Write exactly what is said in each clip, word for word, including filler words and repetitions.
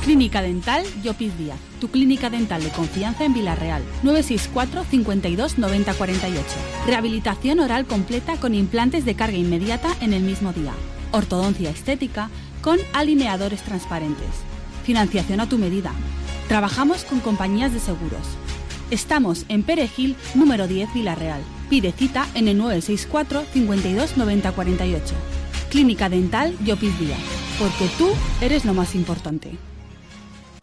Clínica Dental Llopis Díaz, tu clínica dental de confianza en Vila-real. nueve seis cuatro, cincuenta y dos, noventa cuarenta y ocho. Rehabilitación oral completa con implantes de carga inmediata en el mismo día. Ortodoncia estética con alineadores transparentes. Financiación a tu medida. Trabajamos con compañías de seguros. Estamos en Perejil, número diez, Vila-real. Pide cita en el nueve seis cuatro, cincuenta y dos, noventa cuarenta y ocho. Clínica Dental Llopis Díaz, porque tú eres lo más importante.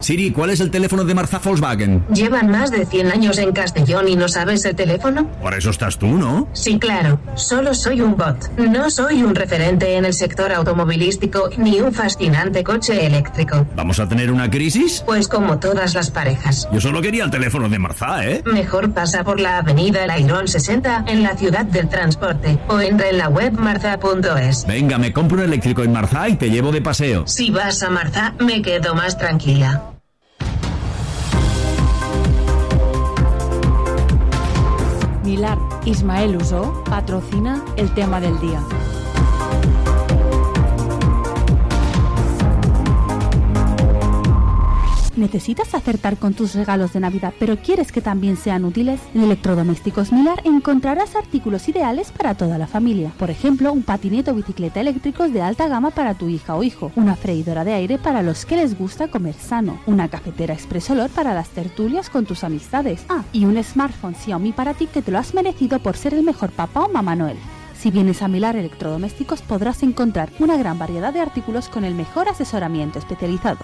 Siri, ¿cuál es el teléfono de Marzá Volkswagen? ¿Llevan más de cien años en Castellón y no sabes el teléfono? Por eso estás tú, ¿no? Sí, claro. Solo soy un bot. No soy un referente en el sector automovilístico ni un fascinante coche eléctrico. ¿Vamos a tener una crisis? Pues como todas las parejas. Yo solo quería el teléfono de Marzá, ¿eh? Mejor pasa por la avenida El Airón sesenta en la ciudad del transporte o entra en la web marzá punto es. Venga, me compro un eléctrico en Marzá y te llevo de paseo. Si vas a Marzá, me quedo más tranquila. Milar Ismael Usó patrocina el tema del día. ¿Necesitas acertar con tus regalos de Navidad, pero quieres que también sean útiles? En Electrodomésticos Milar encontrarás artículos ideales para toda la familia. Por ejemplo, un patinete o bicicleta eléctricos de alta gama para tu hija o hijo, una freidora de aire para los que les gusta comer sano, una cafetera Express Olor para las tertulias con tus amistades. Ah, y un smartphone Xiaomi para ti que te lo has merecido por ser el mejor papá o mamá Noel. Si vienes a Milar Electrodomésticos podrás encontrar una gran variedad de artículos con el mejor asesoramiento especializado.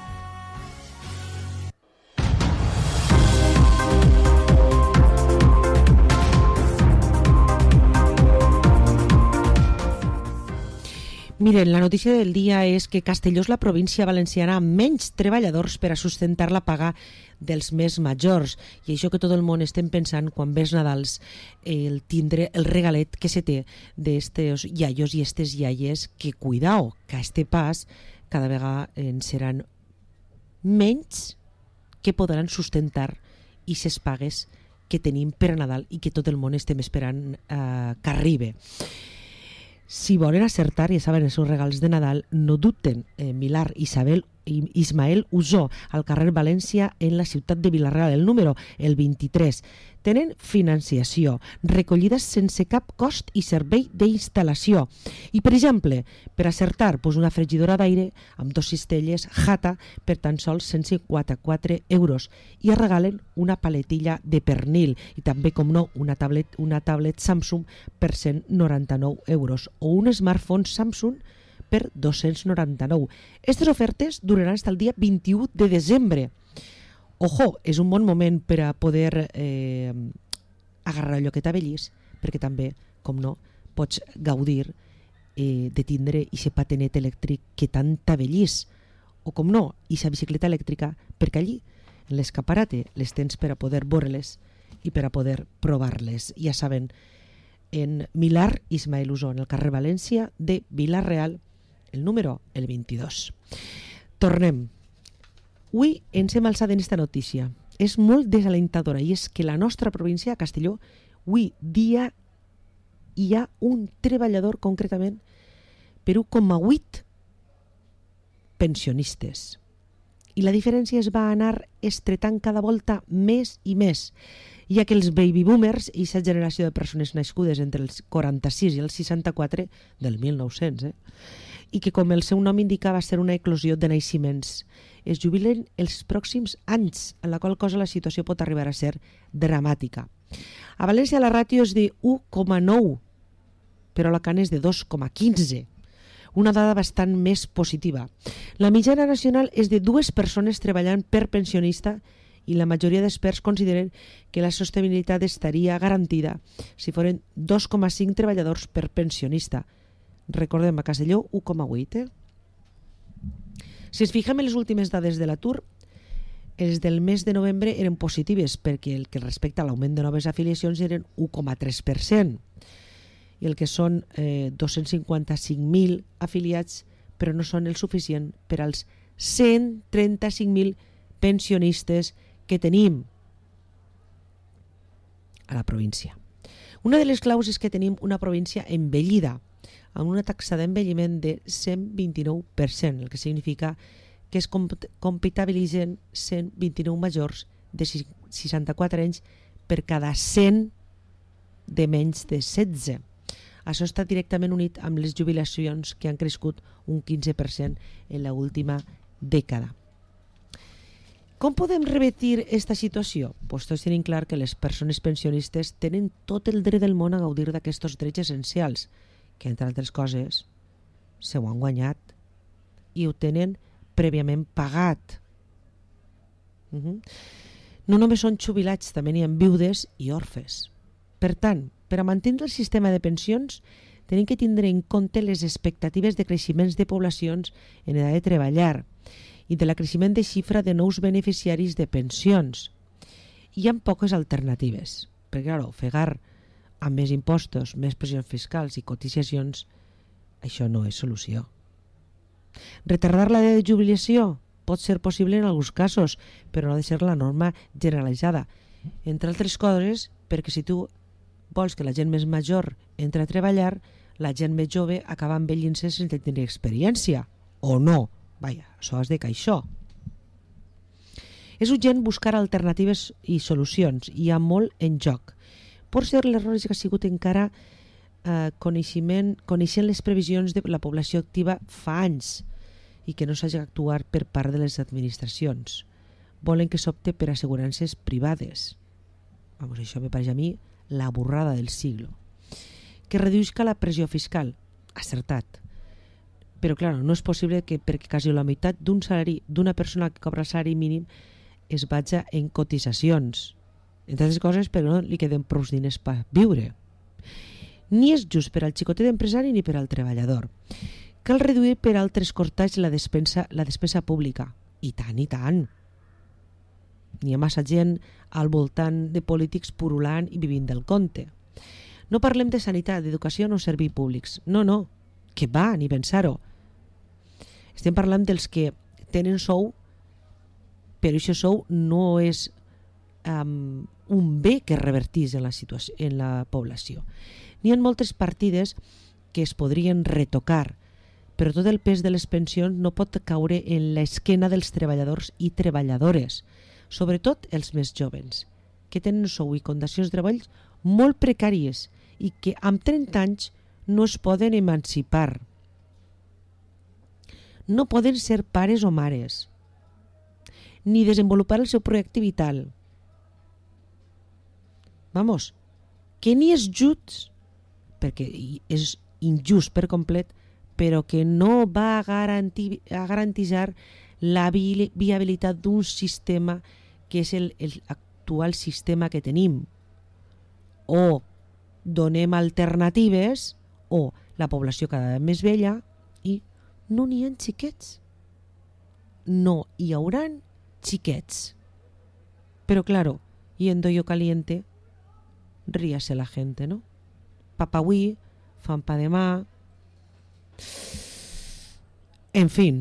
Miren, la notícia del dia és que Castelló és la província valenciana amb menys treballadors per a sustentar la paga dels més majors. I això que tot el món estem pensant quan ves Nadals, el tindre el regalet que se té d'estes iaios i estes iaies, que cuidao, que a este pas cada vegada en seran menys que podran sustentar i ses pagues que tenim per a Nadal i que tot el món estem esperant eh, que arribe. Si volen acertar, ja saben, els seus regals de Nadal, no dubten. Eh, Milar Isabel Ismael Usó, al carrer València, en la ciutat de Vila-real, el número, el vint-i-tres. Tenen financiació, recollida sense cap cost i servei d'instal·lació. I, per exemple, per acertar, doncs una fregidora d'aire amb dos cistelles Jata per tan sols cent cinquanta-quatre euros. I es regalen una paletilla de pernil i també, com no, una tablet, una tablet Samsung per cent noranta-nou euros o un smartphone Samsung per dos-cents noranta-nou. Aquestes ofertes duraran fins al dia vint-i-u de desembre. Ojo, és un bon moment per a poder eh, agarrar allò que t'avellis, perquè també, com no, pots gaudir eh, de tindre aquest patinet elèctric que tant t'avellis, o com no, aquesta bicicleta elèctrica, perquè allí, en l'escaparate, les tens per a poder veure-les i per a poder provar-les. Ja saben, en Milar Ismael Usó, en el carrer València de Vila-real, el número, el vint-i-dos. Tornem. Avui ens hem alçat en esta notícia. És molt desalentadora i és que la nostra província, Castelló, avui dia hi ha un treballador concretament per un coma vuit pensionistes. I la diferència es va anar estretant cada volta més i més, ja que els baby boomers, i aquesta generació de persones nascudes entre els quaranta-sis i els seixanta-quatre del mil nou-cents, eh? i que, com el seu nom indica, va ser una eclosió de naixements, es jubilen els pròxims anys, en la qual cosa la situació pot arribar a ser dramàtica. A València la ràtio és de u coma nou, però a Alacant és de dos coma quinze, una dada bastant més positiva. La mitjana nacional és de dues persones treballant per pensionista i la majoria d'experts consideren que la sostenibilitat estaria garantida si foren dos coma cinc treballadors per pensionista. Recordem, a Castelló, u coma vuit. Eh? Si ens fixem en les últimes dades de l'atur, els del mes de novembre eren positives perquè el que respecta a l'augment de noves afiliacions eren u coma tres per cent i el que són eh, dos-cents cinquanta-cinc mil afiliats, però no són el suficient per als cent trenta-cinc mil pensionistes que tenim a la província. Una de les claus és que tenim una província envellida, amb una taxa d'envelliment de cent vint-i-nou per cent, el que significa que es comp- comptabilitzen cent vint-i-nou majors de seixanta-quatre anys per cada cent de menys de setze. Això està directament unit amb les jubilacions que han crescut un quinze per cent en l'última dècada. Com podem revertir aquesta situació? Pues tots tenim clar que les persones pensionistes tenen tot el dret del món a gaudir d'aquests drets essencials, que entre altres coses se ho han guanyat i ho tenen prèviament pagat. Uh-huh. No només són jubilats, també n'hi ha viudes i orfes. Per tant, per a mantenir el sistema de pensions, tenim que tindre en compte les expectatives de creixements de poblacions en edat de treballar i de la creixement de xifra de nous beneficiaris de pensions. Hi ha poques alternatives, perquè clar, ofegar amb més impostos, més pressions fiscals i cotitzacions, això no és solució. Retardar la de jubilació pot ser possible en alguns casos, però no ha de ser la norma generalitzada. Entre altres coses, perquè si tu vols que la gent més major entri a treballar, la gent més jove acaba envellint-se sense tenir experiència. O no. Vaja, això has de que això. És urgent buscar alternatives i solucions. Hi ha molt en joc. Pot ser l'error que ha sigut encara eh, coneixement, coneixent les previsions de la població activa fa anys i que no s'hagi d'actuar per part de les administracions. Volen que s'opte per assegurances privades. Vamos, això me pareix a mi la burrada del siglo. Que reduïsca la pressió fiscal. Acertat. Però, clar, no és possible que perquè quasi la meitat d'un salari d'una persona que cobra el salari mínim es vaja en cotitzacions. Entre altres coses, però no li queden prou diners per viure. Ni és just per al xicotet empresari ni per al treballador. Cal reduir per altres cortats la despesa, la despesa pública. I tant, i tant. N'hi ha massa gent al voltant de polítics purulant i vivint del compte. No parlem de sanitat, d'educació o serveis públics. No, no, que va, ni pensar-ho. Estem parlant dels que tenen sou, però aquest sou no és um, un bé que revertís en la, situació, en la població. N'hi ha moltes partides que es podrien retocar, però tot el pes de les pensions no pot caure en l'esquena dels treballadors i treballadores, sobretot els més jovens, que tenen sou i condicions de treball molt precàries i que amb trenta anys no es poden emancipar. No poden ser pares o mares, ni desenvolupar el seu projecte vital. Vamos, que ni és just, perquè és injust per complet, però que no va a, garantir, a garantitzar la vi- viabilitat d'un sistema que és el, el actual sistema que tenim. O donem alternatives, o la població cada vegada més vella i no n'hi ha xiquets. No hi hauran xiquets. Però claro, yendo yo caliente, ríase la gente, ¿no? Papa avui, fan pa demà. En fin,